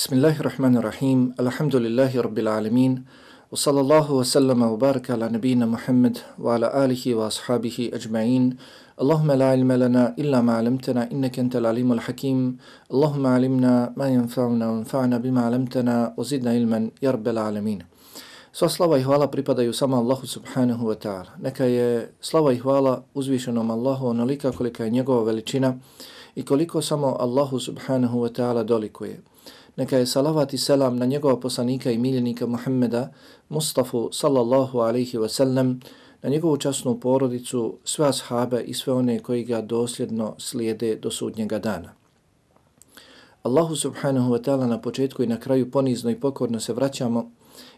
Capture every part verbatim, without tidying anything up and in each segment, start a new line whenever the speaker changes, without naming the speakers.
Bismillahirrahmanirrahim. Alhamdulillahi rabbil alamin. Wa sallallahu wa sallama wa baraka ala nabina Muhammad wa ala alihi wa ashabihi ajma'in. Allahumma la ilma lana illa ma 'allamtana innaka antal alimul hakim. Allahumma 'allimna ma yanfa'una wa anfa'na bima 'allamtana wa zidna ilman ya rabbal alamin. Sva slava i hvala pripadaju samo Allahu subhanahu wa ta'ala. Neka je slava i hvala uzvišenom Allahu onolika kolika je njegova veličina i koliko samo Allahu subhanahu wa ta'ala dolikuje. Neka je salavat i selam na njegova poslanika i miljenika Muhammeda Mustafa sallallahu alaihi wa sallam, na njegovu časnu porodicu, sve ashabe i sve one koji ga dosljedno slijede do sudnjega dana. Allahu subhanahu wa ta'ala na početku i na kraju ponizno i pokorno se vraćamo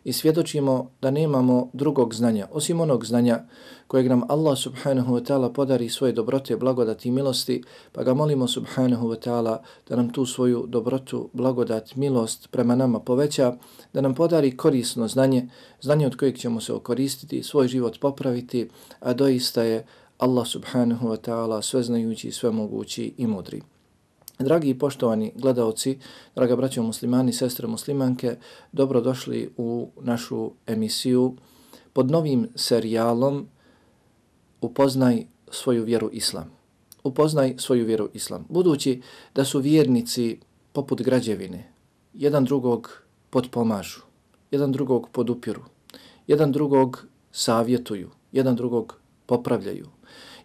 i svjedočimo da nemamo drugog znanja, osim onog znanja kojeg nam Allah subhanahu wa ta'ala podari svoje dobrote, blagodati i milosti, pa ga molimo subhanahu wa ta'ala da nam tu svoju dobrotu, blagodat, milost prema nama poveća, da nam podari korisno znanje, znanje od kojeg ćemo se okoristiti, svoj život popraviti, a doista je Allah subhanahu wa ta'ala sveznajući, svemogući i mudri. Dragi i poštovani gledaoci, draga braćo muslimani, sestre muslimanke, dobrodošli u našu emisiju pod novim serijalom Upoznaj svoju vjeru Islam. Upoznaj svoju vjeru Islam. Budući da su vjernici poput građevine, jedan drugog potpomažu, jedan drugog podupiru, jedan drugog savjetuju, jedan drugog popravljaju.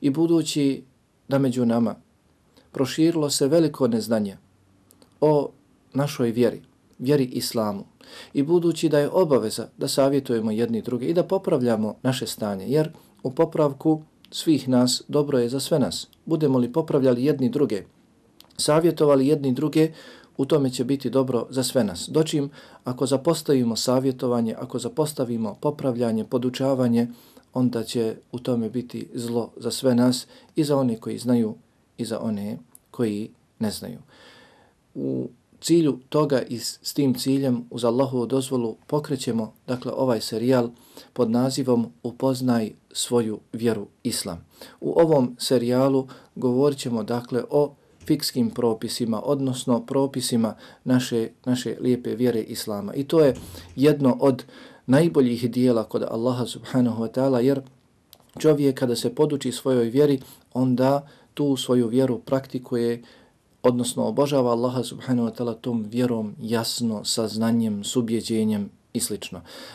I budući da među nama proširilo se veliko neznanje o našoj vjeri, vjeri Islamu. I budući da je obaveza da savjetujemo jedni druge i da popravljamo naše stanje, jer u popravku svih nas dobro je za sve nas. Budemo li popravljali jedni druge, savjetovali jedni druge, u tome će biti dobro za sve nas. Dočim, ako zapostavimo savjetovanje, ako zapostavimo popravljanje, podučavanje, onda će u tome biti zlo za sve nas i za one koji znaju i za one koji ne znaju. U cilju toga i s tim ciljem uz Allahovu dozvolu pokrećemo dakle ovaj serijal pod nazivom Upoznaj svoju vjeru Islam. U ovom serijalu govorit ćemo dakle o fikskim propisima, odnosno propisima naše, naše lijepe vjere Islama. I to je jedno od najboljih dijela kod Allaha subhanahu wa ta'ala, jer čovjek kada se poduči svojoj vjeri, onda tu svoju vjeru praktikuje, odnosno obožava Allaha subhanahu wa ta'ala tom vjerom jasno, sa znanjem, s ubjeđenjem i sl.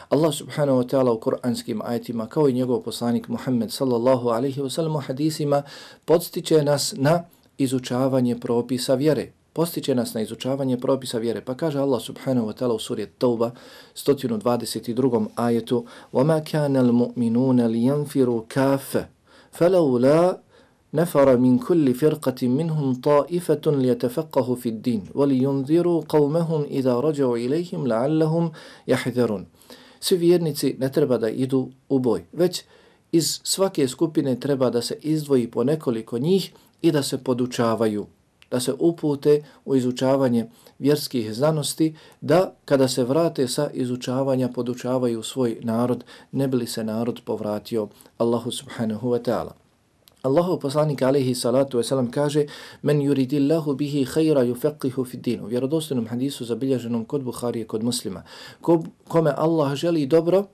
Allah subhanahu wa ta'ala u kuranskim ajetima, kao i njegov poslanik Muhammed sallallahu alaihi wa sallam u hadisima, podstiče nas na izučavanje propisa vjere. Postiče nas na izučavanje propisa vjere. Pa kaže Allah subhanahu wa ta'ala u suri Tauba, sto dvadeset drugom ajetu: وَمَا كَانَ الْمُؤْمِنُونَ لِيَنْفِرُوا كَافَ فَلَوْلَا نفر من كل فرقة منهم طائفة ليتفقهوا في الدين ولينذروا قومهم إذا رجعوا إليهم لعلهم يحذرون. Svi vjernici ne treba da idu u boj, već iz svake skupine treba da se izdvoji po nekoliko njih i da se podučavaju, da se upute u izučavanje vjerskih znanosti, da kada se vrate sa izučavanja podučavaju svoj narod, ne bi li se narod povratio Allahu subhanahu wa ta'ala. Allahov poslanik alejhi salatu vesselam kaže: "Men yuridillahu bihi khayra yufaqihu fi din." U vjerodostojnom hadisu zabilježenom kod Buharije, kod Muslima. Ko, kome Allah želi dobro,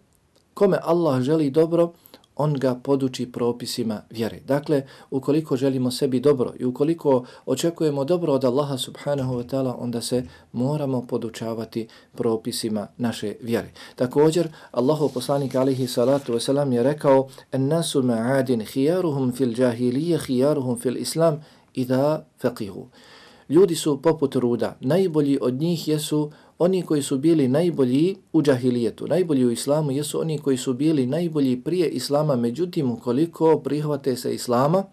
kome Allah želi dobro, on ga poduči propisima vjere. Dakle, ukoliko želimo sebi dobro i ukoliko očekujemo dobro od Allaha subhanahu wa ta'ala, onda se moramo podučavati propisima naše vjere. Također, Allahov poslanik alejhi salatu vesselam je rekao: "En-nasu ma'adin khiyaruhum fil jahiliyya khiyaruhum fil islam idha faqihu." Ljudi su poput ruda, najbolji od njih jesu oni koji su bili najbolji u džahilijetu, najbolji u islamu jesu oni koji su bili najbolji prije islama, međutim ukoliko prihvate se islama,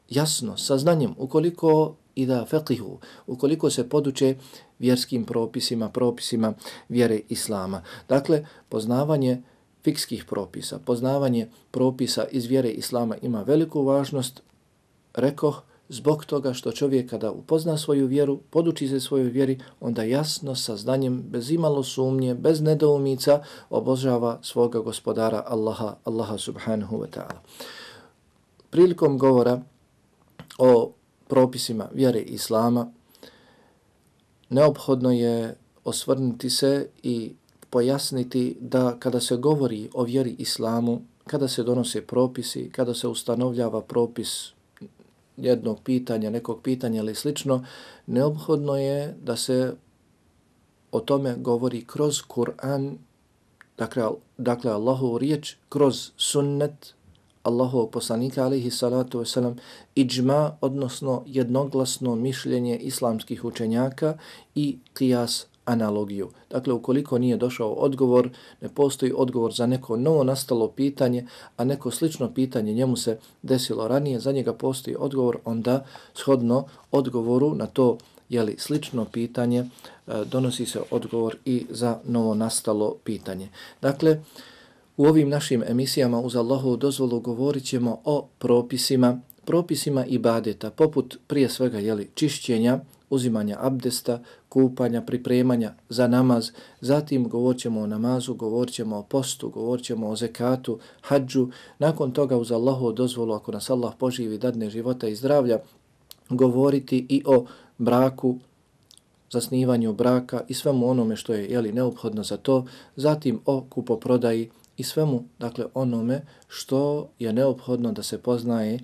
jasno, sa znanjem, ukoliko i da feqihu, ukoliko se poduče vjerskim propisima, propisima vjere islama. Dakle, poznavanje fikskih propisa, poznavanje propisa iz vjere islama ima veliku važnost, rekoh, zbog toga što čovjek kada upozna svoju vjeru, poduči se svojoj vjeri, onda jasno sa znanjem, bez imalo sumnje, bez nedoumica, obožava svoga gospodara Allaha, Allaha subhanahu wa ta'ala. Prilikom govora o propisima vjere Islama, neophodno je osvrnuti se i pojasniti da kada se govori o vjeri islamu, kada se donose propisi, kada se ustanovljava propis jednog pitanja, nekog pitanja ili slično, neophodno je da se o tome govori kroz Kur'an, dakle, dakle Allahovu riječ, kroz sunnet Allahovog poslanika alejhi salatu vesselam, iđma, odnosno jednoglasno mišljenje islamskih učenjaka i qiyas, analogiju. Dakle, ukoliko nije došao odgovor, ne postoji odgovor za neko novo nastalo pitanje, a neko slično pitanje njemu se desilo ranije, za njega postoji odgovor, onda shodno odgovoru na to jeli, slično pitanje, donosi se odgovor i za novo nastalo pitanje. Dakle, u ovim našim emisijama uz Allahovu dozvolu govorit ćemo o propisima, propisima ibadeta, poput prije svega jeli, čišćenja, uzimanja abdesta, kupanja, pripremanja za namaz, zatim govorit ćemo o namazu, govorit ćemo o postu, govorit ćemo o zekatu, hadžu, nakon toga uz Allahovu dozvolu, ako nas Allah poživi, dadne života i zdravlja, govoriti i o braku, zasnivanju braka i svemu onome što je jeli, neophodno za to, zatim o kupoprodaji i svemu, dakle, onome što je neophodno da se poznaje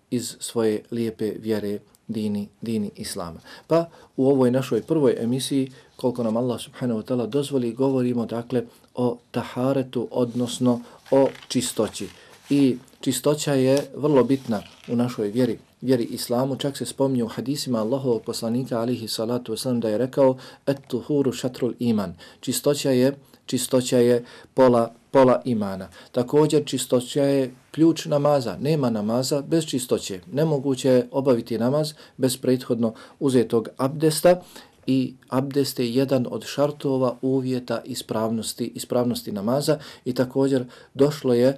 iz svoje lijepe vjere dini, dini Islama. Pa u ovoj našoj prvoj emisiji, koliko nam Allah subhanahu wa ta'ala dozvoli, govorimo dakle o taharetu, odnosno o čistoći. I čistoća je vrlo bitna u našoj vjeri, vjeri Islamu. Čak se spominje u hadisima Allahovog poslanika alejhi salatu vesselam da je rekao et-tuhuru šatrul iman. Čistoća je, čistoća je pola pola imana. Također čistoća je ključ namaza. Nema namaza bez čistoće. Nemoguće je obaviti namaz bez prethodno uzetog abdesta i abdest je jedan od šartova uvjeta ispravnosti, ispravnosti namaza i također došlo je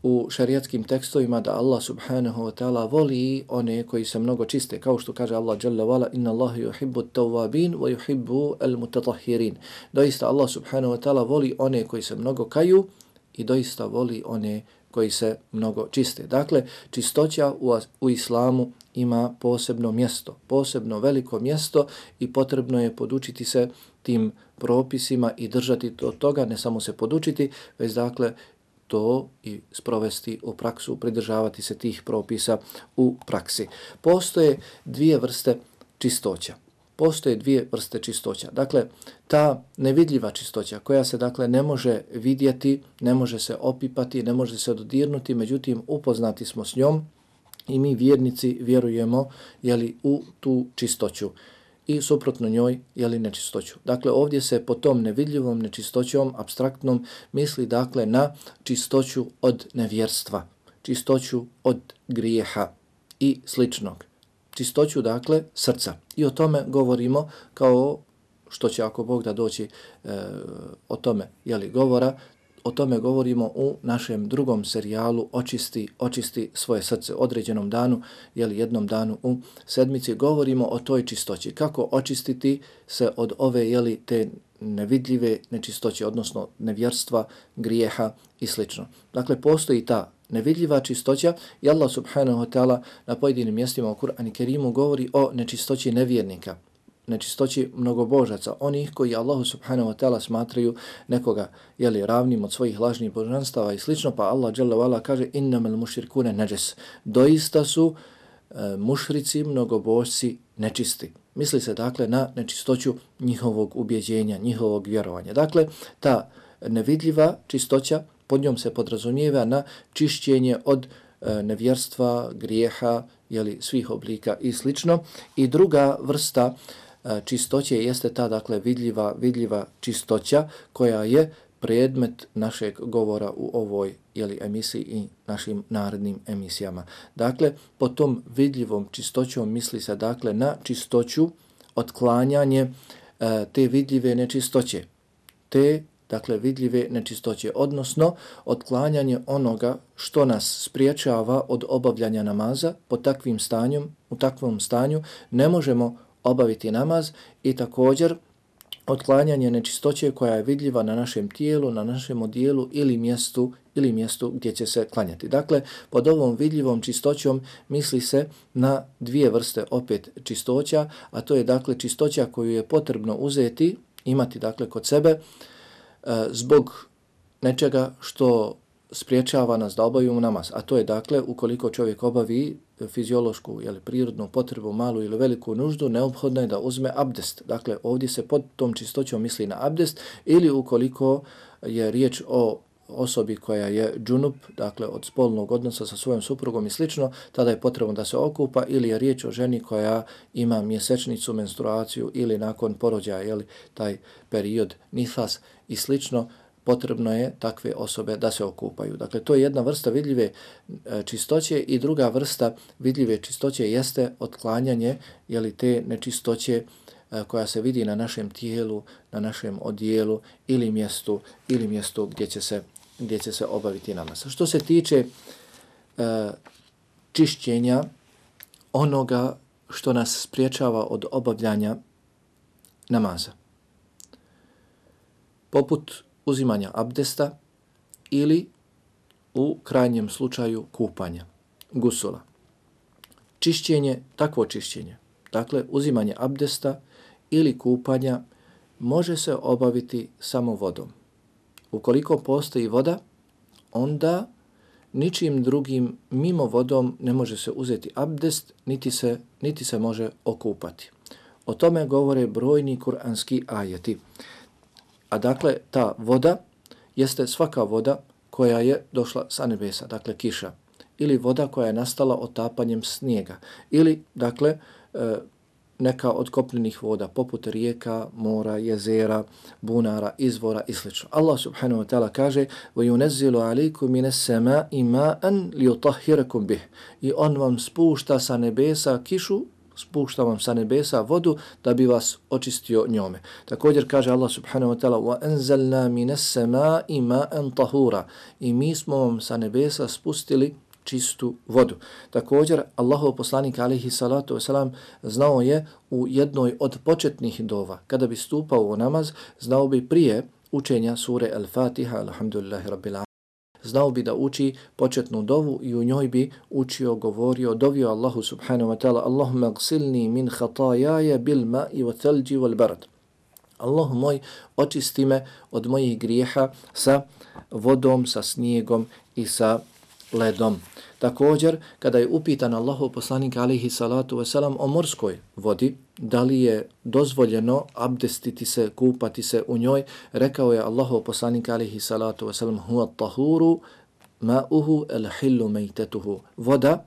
u šarijatskim tekstovima da Allah subhanahu wa ta'ala voli one koji se mnogo čiste, kao što kaže Allah jalla vala inna Allaha yuhibbu at-tawwabin wa yuhibbu al-mutatahhirin. Doista Allah subhanahu wa ta'ala voli one koji se mnogo kaju i doista voli one koji se mnogo čiste. Dakle, čistoća u, u islamu ima posebno mjesto, posebno veliko mjesto i potrebno je podučiti se tim propisima i držati od toga, ne samo se podučiti, već dakle to i sprovesti u praksu, pridržavati se tih propisa u praksi. Postoje dvije vrste čistoća. Postoje dvije vrste čistoća. Dakle, ta nevidljiva čistoća koja se dakle ne može vidjeti, ne može se opipati, ne može se dodirnuti, međutim upoznati smo s njom i mi vjernici vjerujemo jeli, u tu čistoću i suprotno njoj jeli nečistoću. Dakle, ovdje se po tom nevidljivom nečistoćom, apstraktnom, misli dakle na čistoću od nevjerstva, čistoću od grijeha i sličnog. Čistoću, dakle, srca. I o tome govorimo kao što će, ako Bog da doći e, o tome, jeli, govora, o tome govorimo u našem drugom serijalu Očisti, očisti svoje srce. Određenom danu, jeli, jednom danu u sedmici, govorimo o toj čistoći. Kako očistiti se od ove, jeli, te nevidljive nečistoće, odnosno nevjerstva, grijeha i slično. Dakle, postoji ta nevidljiva čistoća i Allah subhanahu wa ta'ala na pojedinim mjestima u Kur'anu Kerimu govori o nečistoći nevjernika, nečistoći mnogobožaca, onih koji Allahu subhanahu wa ta'ala smatraju nekoga jeli, ravnim od svojih lažnih božanstava i slično, pa Allah dželle ve ala kaže innamal mušrikune neđes. Doista su e, mušrici, mnogobožci nečisti. Misli se dakle na nečistoću njihovog ubjeđenja, njihovog vjerovanja. Dakle, ta nevidljiva čistoća, pod njom se podrazumijeva na čišćenje od e, nevjerstva, grijeha, jeli, svih oblika i slično. I druga vrsta e, čistoće jeste ta, dakle, vidljiva, vidljiva čistoća koja je predmet našeg govora u ovoj jeli, emisiji i našim narednim emisijama. Dakle, po tom vidljivom čistoćom misli se dakle na čistoću, otklanjanje e, te vidljive nečistoće, te dakle vidljive nečistoće, odnosno otklanjanje onoga što nas spriječava od obavljanja namaza. Po takvim stanjem, u takvom stanju ne možemo obaviti namaz i također otklanjanje nečistoće koja je vidljiva na našem tijelu, na našem odijelu ili mjestu ili mjestu gdje će se klanjati. Dakle, pod ovom vidljivom čistoćom misli se na dvije vrste opet čistoća, a to je dakle čistoća koju je potrebno uzeti, imati dakle kod sebe e, zbog nečega što spriječava nas da obavimo namaz. A to je dakle ukoliko čovjek obavi fiziološku ili prirodnu potrebu, malu ili veliku nuždu, neophodno je da uzme abdest. Dakle, ovdje se pod tom čistoćom misli na abdest, ili ukoliko je riječ o osobi koja je džunup, dakle od spolnog odnosa sa svojom suprugom i slično, tada je potrebno da se okupa, ili je riječ o ženi koja ima mjesečnicu, menstruaciju ili nakon porođaja, jeli, taj period nifas i slično, potrebno je takve osobe da se okupaju. Dakle, to je jedna vrsta vidljive čistoće i druga vrsta vidljive čistoće jeste otklanjanje jeli, te nečistoće koja se vidi na našem tijelu, na našem odijelu ili mjestu ili mjestu gdje će se, gdje će se obaviti namaz. Što se tiče e, čišćenja onoga što nas spriječava od obavljanja namaza, poput uzimanja abdesta ili u krajnjem slučaju kupanja, gusula. Čišćenje, takvo čišćenje, dakle uzimanje abdesta ili kupanja može se obaviti samo vodom. Ukoliko postoji voda, onda ničim drugim mimo vodom ne može se uzeti abdest, niti se, niti se može okupati. O tome govore brojni kuranski ajeti. A dakle, ta voda jeste svaka voda koja je došla sa nebesa, dakle kiša, ili voda koja je nastala otapanjem snijega, ili dakle neka od kopnenih voda, poput rijeka, mora, jezera, bunara, izvora i sl. Allah subhanahu wa ta'ala kaže وَيُنَزِّلُ عَلَيْكُمْ مِنَ السَّمَاءِ مَاءً لِيُطَهِّرَكُمْ بِهِ. I on vam spušta sa nebesa kišu, spušta vam sa nebesa vodu da bi vas očistio njome. Također kaže Allah subhanahu wa ta'ala وَأَنزَلْنَا مِنَ السَّمَاءِ مَاءً طَهُورًا. I mi smo vam sa nebesa spustili čistu vodu. Također, Allahov poslanik alejhi salatu vesselam znao je u jednoj od početnih dova, kada bi stupao u namaz, znao bi prije učenja sure Al-Fatiha, alhamdulillahi rabbil alamin, znao bi da uči početnu dovu i u njoj bi učio, govorio, dovio Allahu subhanahu wa ta'ala Allahumma gsilni min khatajaja bil ma'i wa thalji wal barad. Allahu moj, očisti me od mojih grijeha sa vodom, sa snijegom i sa ledom. Također, kada je upitan Allahov poslanik alejhi salatu vesselam o morskoj vodi, da li je dozvoljeno abdestiti se, kupati se u njoj, rekao je Allahov poslanik alejhi salatu vesselam huwa tahuru ma'uhu al-hillu maytatuhu. Voda,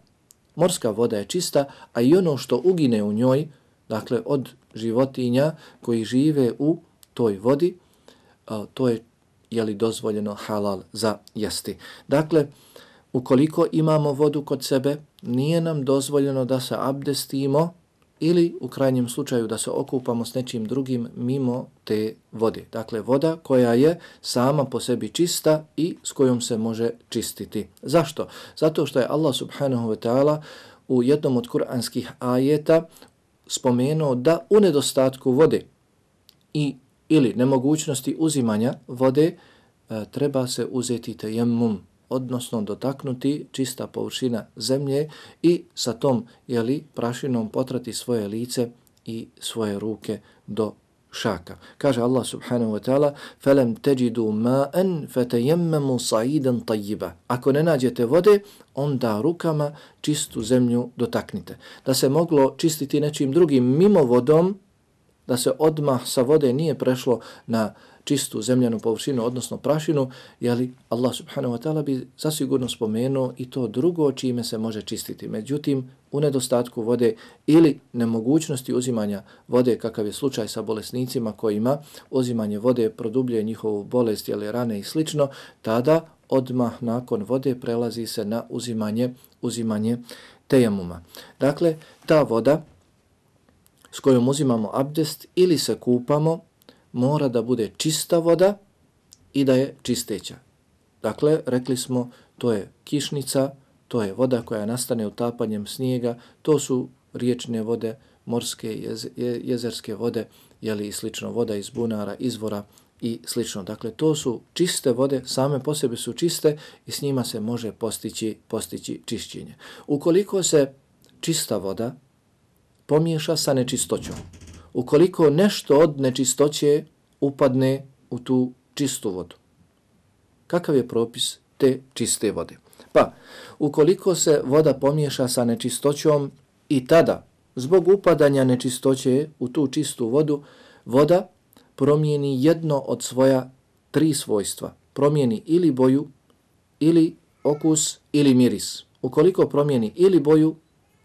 morska voda je čista, a i ono što ugine u njoj, dakle od životinja koji žive u toj vodi, to je je li dozvoljeno halal za jesti. Dakle, ukoliko imamo vodu kod sebe, nije nam dozvoljeno da se abdestimo ili u krajnjem slučaju da se okupamo s nečim drugim mimo te vode. Dakle, voda koja je sama po sebi čista i s kojom se može čistiti. Zašto? Zato što je Allah subhanahu wa ta'ala u jednom od kuranskih ajeta spomenuo da u nedostatku vode i ili nemogućnosti uzimanja vode e, treba se uzeti tejemmum, odnosno dotaknuti čista površina zemlje i sa tom jeli, prašinom potrati svoje lice i svoje ruke do šaka. Kaže Allah subhanahu wa ta'ala فَلَمْ تَجِدُوا مَاءً فَتَيَمَّمُوا صَعِيدًا طَيِّبًا. Ako ne nađete vode, onda rukama čistu zemlju dotaknite. Da se moglo čistiti nečim drugim mimo vodom, da se odmah sa vode nije prešlo na čistu zemljanu površinu, odnosno prašinu, jeli Allah subhanahu wa ta'ala bi zasigurno spomenuo i to drugo čime se može čistiti. Međutim, u nedostatku vode ili nemogućnosti uzimanja vode, kakav je slučaj sa bolesnicima kojima uzimanje vode produbljuje njihovu bolest, jeli rane i slično, tada odmah nakon vode prelazi se na uzimanje, uzimanje tejemuma. Dakle, ta voda s kojom uzimamo abdest ili se kupamo, mora da bude čista voda i da je čisteća. Dakle, rekli smo, to je kišnica, to je voda koja nastane utapanjem snijega, to su riječne vode, morske, jez, jezerske vode jeli i slično, voda iz bunara, izvora i slično. Dakle, to su čiste vode, same po sebi su čiste i s njima se može postići, postići čišćenje. Ukoliko se čista voda pomiješa sa nečistoćom, ukoliko nešto od nečistoće upadne u tu čistu vodu, kakav je propis te čiste vode? Pa, ukoliko se voda pomiješa sa nečistoćom i tada, zbog upadanja nečistoće u tu čistu vodu, voda promijeni jedno od svoja tri svojstva. Promijeni ili boju, ili okus, ili miris. Ukoliko promijeni ili boju,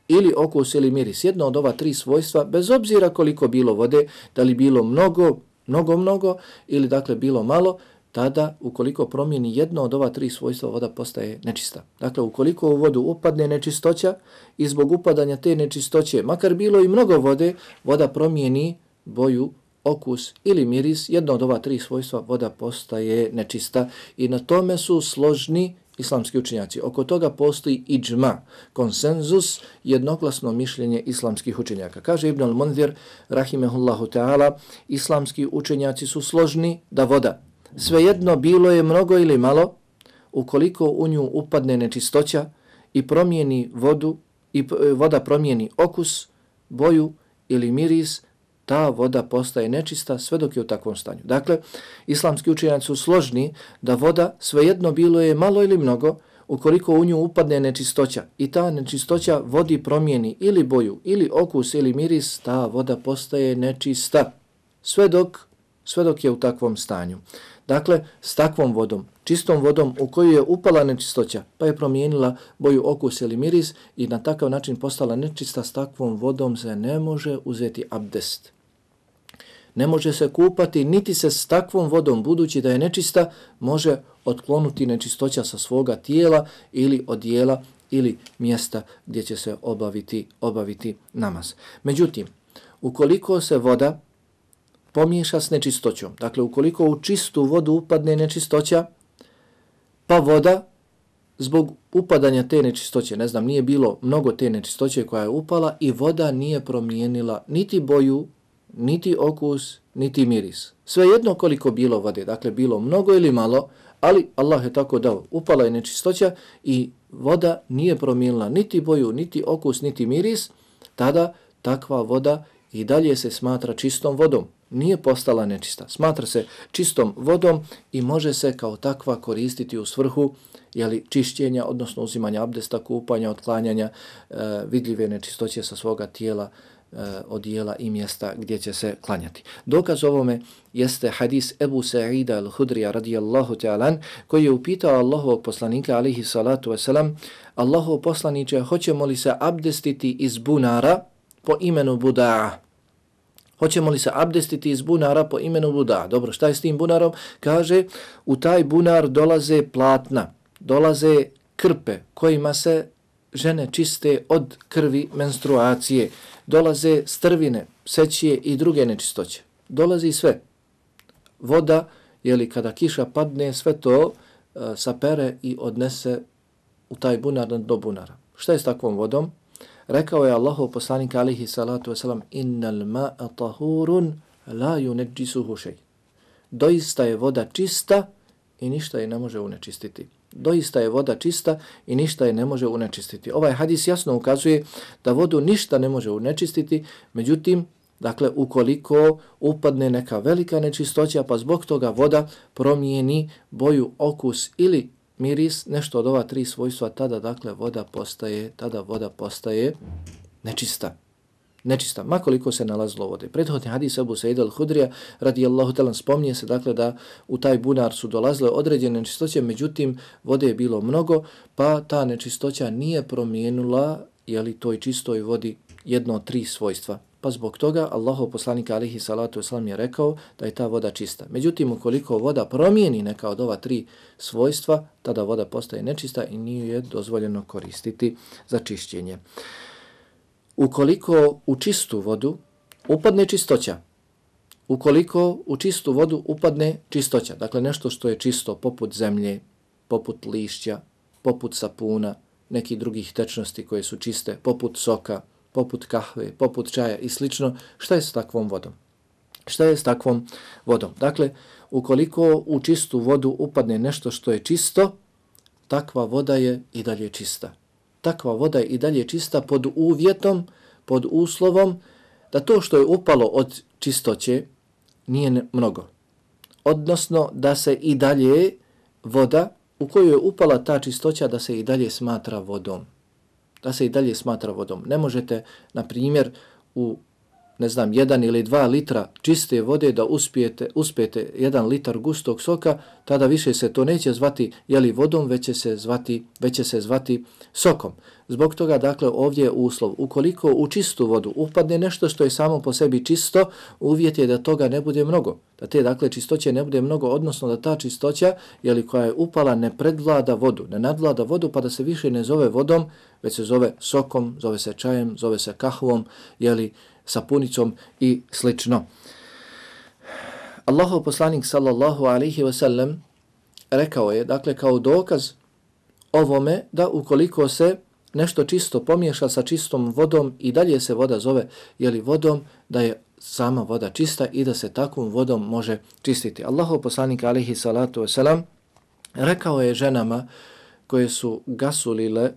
ili okus, ili miris, jedno od ova tri svojstva, bez obzira koliko bilo vode, da li bilo mnogo, mnogo, mnogo, ili dakle bilo malo, tada ukoliko promijeni jedno od ova tri svojstva, voda postaje nečista. Dakle, ukoliko u vodu upadne nečistoća i zbog upadanja te nečistoće, makar bilo i mnogo vode, voda promijeni boju, okus ili miris, jedno od ova tri svojstva, voda postaje nečista i na tome su složni islamski učenjaci. Oko toga postoji iđma, konsenzus, jednoglasno mišljenje islamskih učenjaka. Kaže Ibn al-Munzir, rahimehullahu ta'ala, islamski učenjaci su složni da voda, svejedno bilo je mnogo ili malo, ukoliko u nju upadne nečistoća i promijeni vodu, i voda promijeni okus, boju ili miris, ta voda postaje nečista sve dok je u takvom stanju. Dakle, islamski učenjaci su složni da voda, svejedno bilo je malo ili mnogo, ukoliko u nju upadne nečistoća i ta nečistoća vodi promijeni ili boju, ili okus, ili miris, ta voda postaje nečista sve dok, sve dok je u takvom stanju. Dakle, s takvom vodom, čistom vodom u koju je upala nečistoća, pa je promijenila boju, okus ili miris i na takav način postala nečista, s takvom vodom se ne može uzeti abdest. Ne može se kupati, niti se s takvom vodom, budući da je nečista, može otklonuti nečistoća sa svoga tijela ili odijela ili mjesta gdje će se obaviti, obaviti namaz. Međutim, ukoliko se voda pomiješa s nečistoćom, dakle ukoliko u čistu vodu upadne nečistoća, pa voda zbog upadanja te nečistoće, ne znam, nije bilo mnogo te nečistoće koja je upala i voda nije promijenila niti boju, niti okus, niti miris. Svejedno koliko bilo vode, dakle bilo mnogo ili malo, ali Allah je tako dao, upala je nečistoća i voda nije promijenila niti boju, niti okus, niti miris, tada takva voda i dalje se smatra čistom vodom. Nije postala nečista. Smatra se čistom vodom i može se kao takva koristiti u svrhu jeli, čišćenja, odnosno uzimanja abdesta, kupanja, otklanjanja e, vidljive nečistoće sa svoga tijela, e, odijela i mjesta gdje će se klanjati. Dokaz ovome jeste hadis Ebu Sa'ida al-Hudrija radijallahu ta'alan, koji je upitao Allahovog poslanika alihi salatu wasalam, Allahov poslaniče, hoćemo li se abdestiti iz bunara po imenu Buda'a? Hoćemo li se abdestiti iz bunara po imenu Buda'a? Dobro, šta je s tim bunarom? Kaže, u taj bunar dolaze platna, dolaze krpe kojima se žene čiste od krvi menstruacije, dolaze strvine, sećije i druge nečistoće. Dolazi sve. Voda, jeli kada kiša padne, sve to uh, sapere i odnese u taj bunar do bunara. Šta je s takvom vodom? Rekao je Allahov poslanik alihi salatu wasalam, innal ma'a tahurun la yunajjisuhu shay. Doista je voda čista i ništa je ne može unečistiti. Doista je voda čista i ništa je ne može unečistiti. Ovaj hadis jasno ukazuje da vodu ništa ne može unečistiti, međutim, dakle, ukoliko upadne neka velika nečistoća, pa zbog toga voda promijeni boju, okus ili miris, nešto od ova tri svojstva, tada dakle voda postaje, tada voda postaje nečista. Nečista, makoliko se nalazilo vode. Prethodni hadis Ebu Sa'ida al-Hudrija radijallahu ta'ala spominje se dakle da u taj bunar su dolazile određene nečistoće, međutim vode je bilo mnogo, pa ta nečistoća nije promijenila jeli toj čistoj vodi jedno od tri svojstva. Pa zbog toga Allahov poslanik alihi salatu wasalam je rekao da je ta voda čista. Međutim, ukoliko voda promijeni neka od ova tri svojstva, tada voda postaje nečista i nije je dozvoljeno koristiti za čišćenje. Ukoliko u čistu vodu upadne čistoća, ukoliko u čistu vodu upadne čistoća, dakle nešto što je čisto poput zemlje, poput lišća, poput sapuna, nekih drugih tečnosti koje su čiste, poput soka, poput kahve, poput čaja i slično, šta je s takvom vodom? Šta je s takvom vodom? Dakle, ukoliko u čistu vodu upadne nešto što je čisto, takva voda je i dalje čista. Takva voda je i dalje čista pod uvjetom, pod uslovom da to što je upalo od čistoće nije mnogo. Odnosno da se i dalje voda u koju je upala ta čistoća da se i dalje smatra vodom. Da se i dalje smatra vodom. Ne možete, na primjer, u ne znam, jedan ili dva litra čiste vode da uspijete, uspijete jedan litar gustog soka, tada više se to neće zvati jeli vodom, već će se zvati, već će se zvati sokom. Zbog toga, dakle, ovdje je uslov. Ukoliko u čistu vodu upadne nešto što je samo po sebi čisto, uvjet je da toga ne bude mnogo. Da te, dakle, čistoće ne bude mnogo, odnosno da ta čistoća, jeli, koja je upala, ne predvlada vodu, ne nadvlada vodu, pa da se više ne zove vodom, već se zove sokom, zove se čajem, zove se kahvom, jeli, sapunicom i slično. Allahov poslanik sallallahu alaihi wa sallam rekao je, dakle, kao dokaz ovome da ukoliko se nešto čisto pomiješa sa čistom vodom i dalje se voda zove jeli vodom, da je sama voda čista i da se takvom vodom može čistiti. Allahov poslanik alaihi salatu wa sallam rekao je ženama koje su gasulile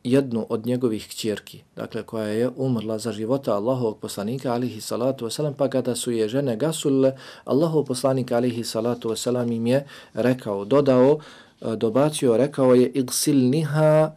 jednu od njegovih kćerki, dakle koja je umrla za života Allahovog poslanika alihi salatu wasalam, pa kada su je žene gasulile, Allahov poslanik alihi salatu wasalam im je rekao, dodao, dobacio, rekao je igsilniha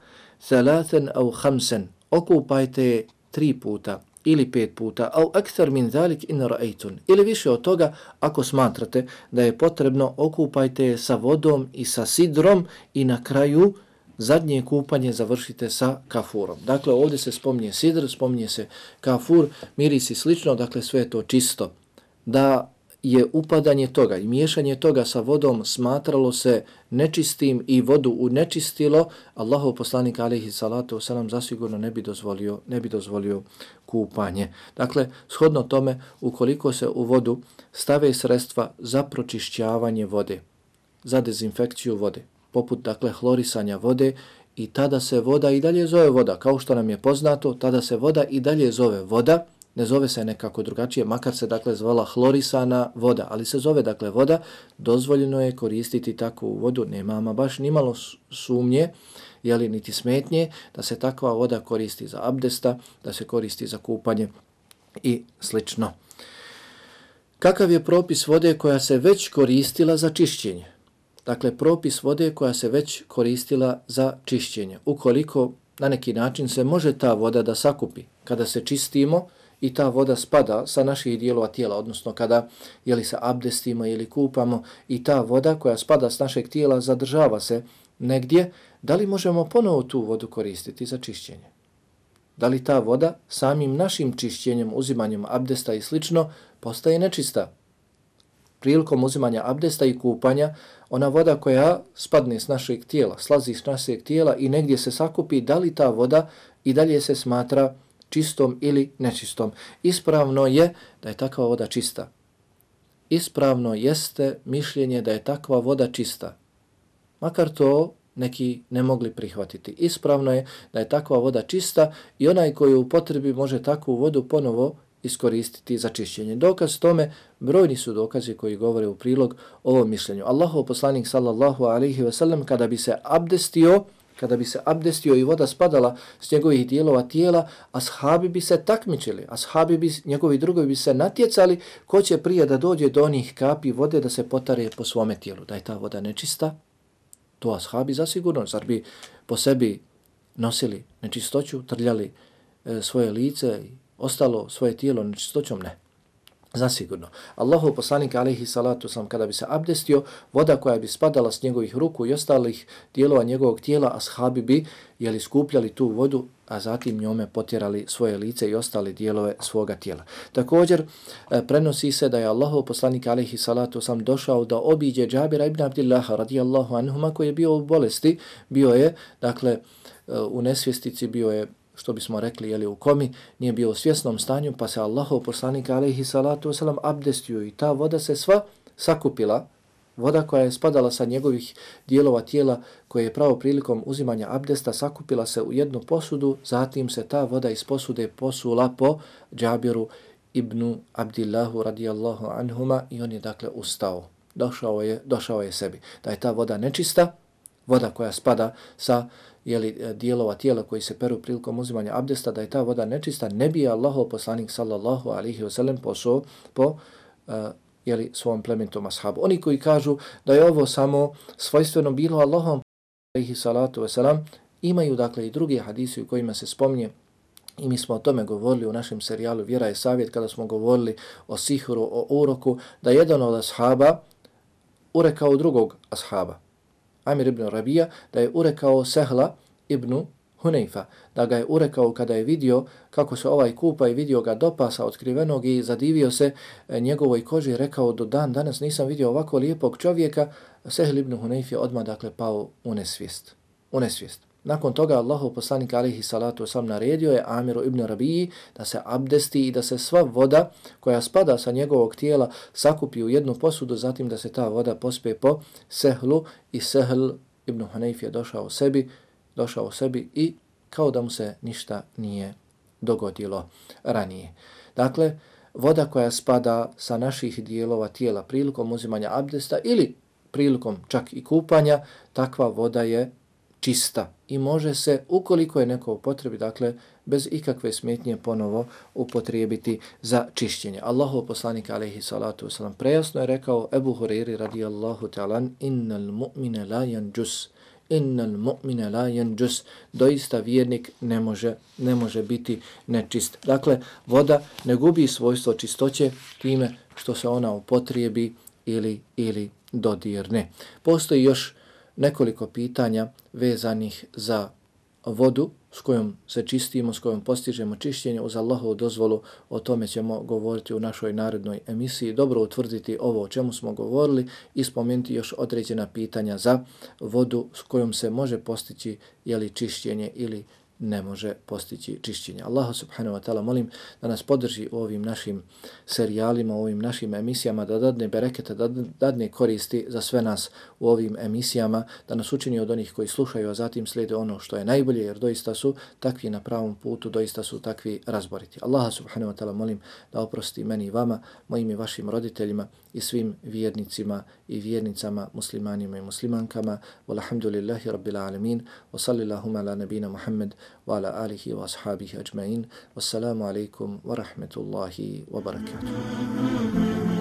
thalathan au khamsan, okupajte tri puta ili pet puta, au akthar min zalik in ra'aytun, ili više od toga ako smatrate da je potrebno, okupajte sa vodom i sa sidrom i na kraju zadnje kupanje završite sa kafurom. Dakle, ovdje se spominje sidr, spominje se kafur, mirisi slično, dakle sve je to čisto. Da je upadanje toga i miješanje toga sa vodom smatralo se nečistim i vodu unečistilo, Allahov poslanik alejhi salatu vesselam zasigurno ne bi dozvolio, ne bi dozvolio kupanje. Dakle, shodno tome, ukoliko se u vodu stave sredstva za pročišćavanje vode, za dezinfekciju vode, poput, dakle, hlorisanja vode, i tada se voda i dalje zove voda. Kao što nam je poznato, tada se voda i dalje zove voda, ne zove se nekako drugačije, makar se, dakle, zvala hlorisana voda, ali se zove, dakle, voda. Dozvoljeno je koristiti takvu vodu, nema ama baš nimalo sumnje, jeli, niti smetnje, da se takva voda koristi za abdesta, da se koristi za kupanje i slično. Kakav je propis vode koja se već koristila za čišćenje? Dakle, propis vode koja se već koristila za čišćenje. Ukoliko na neki način se može ta voda da sakupi kada se čistimo i ta voda spada sa naših dijelova tijela, odnosno kada jeli se abdestimo ili kupamo i ta voda koja spada s našeg tijela zadržava se negdje, da li možemo ponovo tu vodu koristiti za čišćenje? Da li ta voda samim našim čišćenjem, uzimanjem abdesta i slično postaje nečista? Prilikom uzimanja abdesta i kupanja, ona voda koja spadne s našeg tijela, slazi s našeg tijela i negdje se sakupi, da li ta voda i dalje se smatra čistom ili nečistom? Ispravno je da je takva voda čista. Ispravno jeste mišljenje da je takva voda čista. Makar to neki ne mogli prihvatiti. Ispravno je da je takva voda čista i onaj koji u potrebi može takvu vodu ponovo iskoristiti za čišćenje. Dokaz tome, brojni su dokazi koji govore u prilog ovom mišljenju. Allahov poslanik sallallahu alejhi ve sellem kada bi se abdestio, kada bi se abdestio i voda spadala s njegovih dijelova tijela, ashabi bi se takmičili, ashabi bi, njegovi drugovi bi se natjecali ko će prije da dođe do onih kapi vode da se potare po svome tijelu. Da je ta voda nečista, to ashabi zasigurno, zar bi po sebi nosili nečistoću, trljali e, svoje lice i ostalo svoje tijelo nečistoćom? Ne. Zasigurno. Allahov poslanik alejhi salatu sam kada bi se abdestio, voda koja bi spadala s njegovih ruku i ostalih dijelova njegovog tijela, ashabi bi jeli skupljali tu vodu, a zatim njome potjerali svoje lice i ostale dijelove svoga tijela. Također prenosi se da je Allahov poslanik alejhi salatu sam došao da obiđe Džabira ibn Abdillaha radijallahu anhuma koji je bio u bolesti, bio je, dakle, u nesvjestici, bio je, što bismo rekli, jeli, u komi, nije bio u svjesnom stanju, pa se Allahov poslanik alejhi salatu wasalam abdestio i ta voda se sva sakupila, voda koja je spadala sa njegovih dijelova tijela koje je pravo prilikom uzimanja abdesta sakupila se u jednu posudu, zatim se ta voda iz posude posula po Džabiru ibn Abdillahu radijallahu anhuma i on je dakle ustao. Došao je, došao je sebi. Da je ta voda nečista, voda koja spada sa jeli, dijelova tijela koji se peru prilikom uzimanja abdesta, da je ta voda nečista, ne bi je Allahov poslanik sallallahu alaihi wasallam posao po uh, jeli, svom plemenitom ashabu. Oni koji kažu da je ovo samo svojstveno bilo Allahom alaihi salatu wasalam, imaju dakle i drugi hadisi u kojima se spominje, i mi smo o tome govorili u našem serijalu Vjera je savjet, kada smo govorili o sihru, o uroku, da jedan od ashaba urekao drugog ashaba, Amir ibn Rabija, da je urekao Sehla ibn Hunayfa, da ga je urekao kada je vidio kako se ovaj kupa i vidio ga do pasa otkrivenog i zadivio se njegovoj koži i rekao do dan danas nisam vidio ovako lijepog čovjeka. Sehl ibn Hunayf je odmah dakle pao u nesvijest. U nesvijest. Nakon toga Allahov poslanik alejhi salatu vesselam naredio je Amiru ibn Rabiji da se abdesti i da se sva voda koja spada sa njegovog tijela sakupi u jednu posudu, zatim da se ta voda pospe po Sehlu i Sehl ibn Hunayf je došao sebi, došao sebi i kao da mu se ništa nije dogodilo ranije. Dakle, voda koja spada sa naših dijelova tijela prilikom uzimanja abdesta ili prilikom čak i kupanja, takva voda je čista i može se, ukoliko je neko u potrebi, dakle, bez ikakve smetnje ponovo upotrijebiti za čišćenje. Allahov poslanik alejhi salatu vesselam prejasno je rekao Ebu Hurajri radijallahu ta'ala innal mu'mine la yanjus innal mu'mine la yanjus, doista vjernik ne može ne može biti nečist. Dakle, voda ne gubi svojstvo čistoće time što se ona upotrijebi ili ili dodirne. Postoji još nekoliko pitanja vezanih za vodu s kojom se čistimo, s kojom postižemo čišćenje. Uz Allahovu dozvolu o tome ćemo govoriti u našoj narednoj emisiji. Dobro utvrditi ovo o čemu smo govorili i spomenuti još određena pitanja za vodu s kojom se može postići jeli čišćenje ili ne može postići čišćenje. Allah subhanahu wa ta'ala molim da nas podrži u ovim našim serijalima, u ovim našim emisijama, da dadne bereketa, da dadne koristi za sve nas u ovim emisijama, da nas učini od onih koji slušaju, a zatim slijede ono što je najbolje, jer doista su takvi na pravom putu, doista su takvi razboriti. Allah subhanahu wa ta'ala molim da oprosti meni i vama, mojim i vašim roditeljima i svim vjernicima i vjernicama, muslimanima i muslimankama. Walhamdulillahi rabbil alamin. Wa sallillahuma ala nabina Muhammad wa ala alihi wa ashabihi ajma'in. Wassalamu alaikum wa rahmetullahi wa barakatuh.